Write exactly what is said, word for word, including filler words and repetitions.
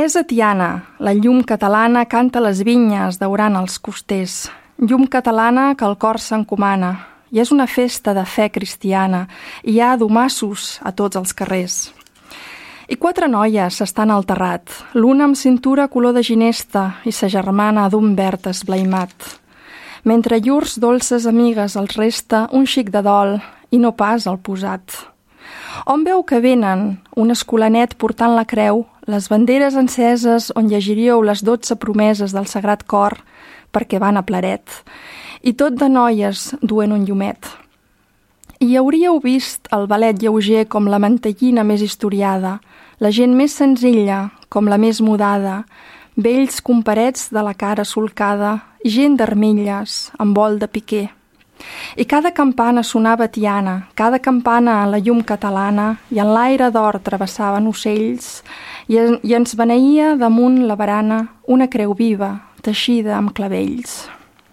És a Tiana, la llum catalana canta les vinyes daurant els costers. Llum catalana que el cor s'encomana, i és una festa de fe cristiana, i hi ha domassos a tots els carrers. I quatre noies s'estan al terrat, l'una amb cintura color de ginesta i sa germana d'un verd esblaimat. Mentre llurs dolces amigues els resta un xic de dol i no pas el posat. On veu que venen un escolanet portant la creu, les banderes enceses on llegiríeu les dotze promeses del Sagrat Cor perquè van a Plaret, i tot de noies duent un llumet. I hauríeu vist el ballet lleuger com la mantellina més historiada, la gent més senzilla com la més mudada, vells comparets de la cara solcada, gent d'armilles amb vol de piquer. I cada campana sonava tiana, cada campana a la llum catalana, i en l'aire d'or travessaven ocells, i, en, i ens beneïa damunt la barana una creu viva, teixida amb clavells.